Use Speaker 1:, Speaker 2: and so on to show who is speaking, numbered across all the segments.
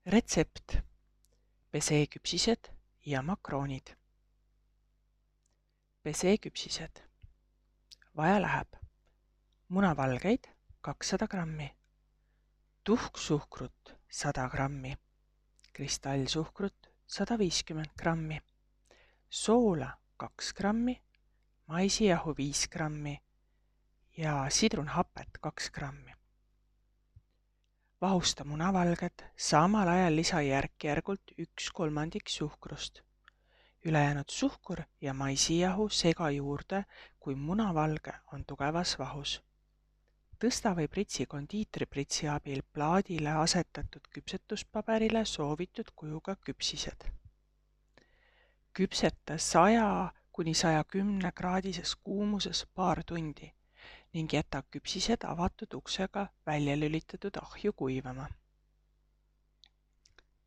Speaker 1: Retsept: peseküpsised ja makroonid. Peseküpsised. Vaja läheb munavalgeid 200 grammi, tuhksuhkrut 100 grammi, kristallsuhkrut 150 grammi, soola 2 grammi, maisijahu 5 grammi ja sidrunhapet 2 grammi. Vahusta munavalged, samal ajal lisa järk-järgult 1/3 suhkrust. Ülejäänud suhkur ja maisijahu sega juurde, kui munavalge on tugevas vahus. Tõsta või pritsi kondiitripritsi abil plaadile asetatud küpsetuspaberile soovitud kujuga küpsised. Küpseta 100–110 kraadises kuumuses paar tundi ning jäta küpsised avatud uksega välja lülitatud ahju kuivama.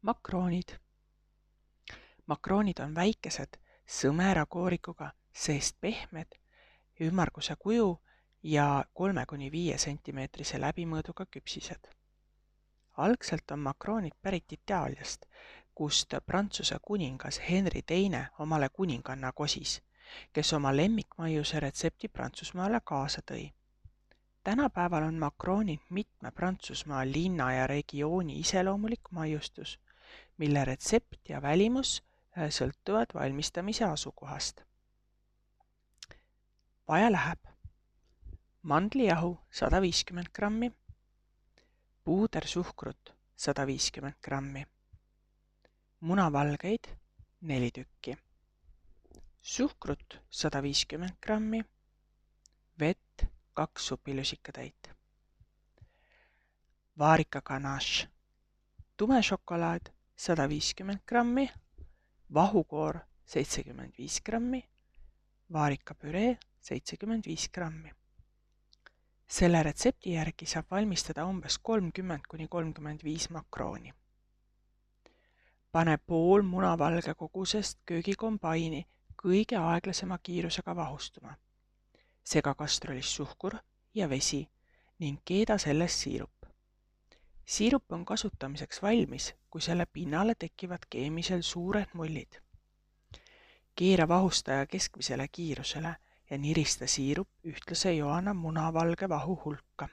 Speaker 1: Makroonid. Makroonid on väikesed, sõmera koorikuga, seest pehmed, ümmarguse kuju ja 3–5 cm läbimõõduga küpsised. Algselt on makroonid pärit Itaaliast, kust Prantsuse kuningas Henri II omale kuninganna kosis, kes oma lemmikmaiuse retsepti Prantsusmaale kaasa tõi. Tänapäeval on makroonid mitme Prantsusmaa linna ja regiooni iseloomulik maiustus, mille retsept ja välimus sõltuvad valmistamise asukohast. Vaja läheb mandlijahu 150 grammi, puudersuhkrut 150 grammi, munavalgeid 4 tükki, suhkrut 150 grammi, vett 2 supilusikatäit. Vaarika ganache, tumešokolaad 150 grammi, vahukoor 75 grammi, vaarikapüree 75 grammi. Selle retsepti järgi saab valmistada umbes 30–35 makrooni. Pane pool munavalge kogusest köögikombaini kõige aeglasema kiirusega vahustuma. Sega kastrulis suhkur ja vesi ning keeda sellest siirup. Siirup on kasutamiseks valmis, kui selle pinnale tekivad keemisel suured mullid. Keera vahustaja keskmisele kiirusele ja nirista siirup ühtlase joana munavalge vahu hulka.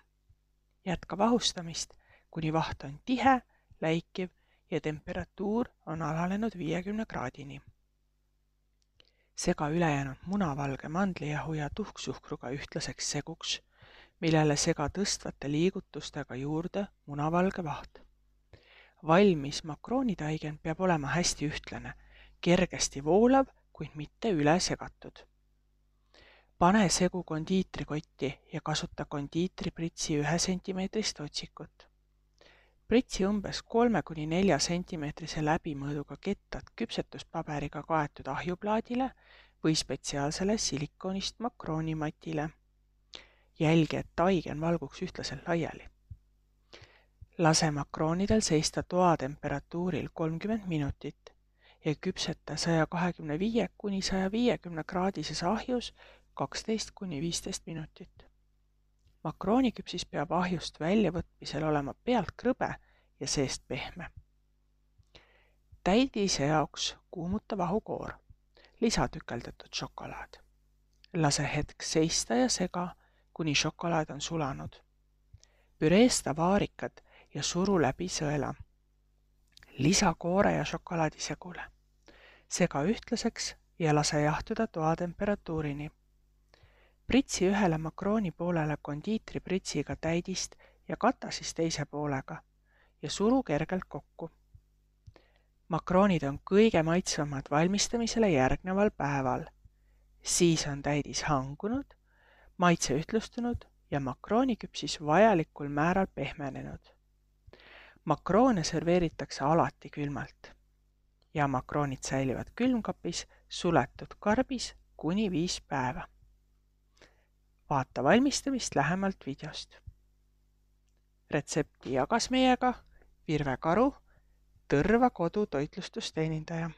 Speaker 1: Jätka vahustamist, kuni vaht on tihe, läikiv ja temperatuur on alanenud 50 kraadini. Sega ülejäänud munavalge mandlijahu ja tuhksuhkruga ühtlaseks seguks, millele sega tõstvate liigutustega juurde munavalge vaht. Valmis makroonitaigen peab olema hästi ühtlane, kergesti voolav, kuid mitte üle segatud. Pane segu kondiitrikotti ja kasuta kondiitripritsi 1 cm otsikut. Pritsi umbes 3–4 cm läbimõõduga kettad küpsetuspaberiga kaetud ahjuplaadile või spetsiaalsele silikoonist makroonimatile. Jälgi, et taigen valguks ühtlaselt laiali. Lase makroonidel seista toatemperatuuril 30 minutit ja küpseta 125–150 kraadises ahjus 12–15 minutit. Makrooniküpsis peab ahjust väljavõtmisel olema pealt krõbe ja seest pehme. Täidise jaoks kuumuta vahukoor. Lisa tükeldatud šokolaad. Lase hetk seista ja sega, kuni šokolaad on sulanud. Püreesta vaarikad ja suru läbi sõela. Lisa koore ja šokolaadi segule. Sega ühtlaseks ja lase jahtuda toatemperatuurini. Pritsi ühele makrooni poolele kondiitripritsiga täidist ja kata siis teise poolega ja suru kergelt kokku. Makroonid on kõige maitsvamad valmistamisele järgneval päeval. Siis on täidis hangunud, maitse ühtlustunud ja makrooniküpsis vajalikul määral pehmenenud. Makroone serveeritakse alati külmalt ja makroonid säilivad külmkapis suletud karbis kuni 5 päeva. Vaata valmistamist lähemalt videost. Retsepti jagas meiega Virve Karu, Tõrva kodu toitlustusteenindaja.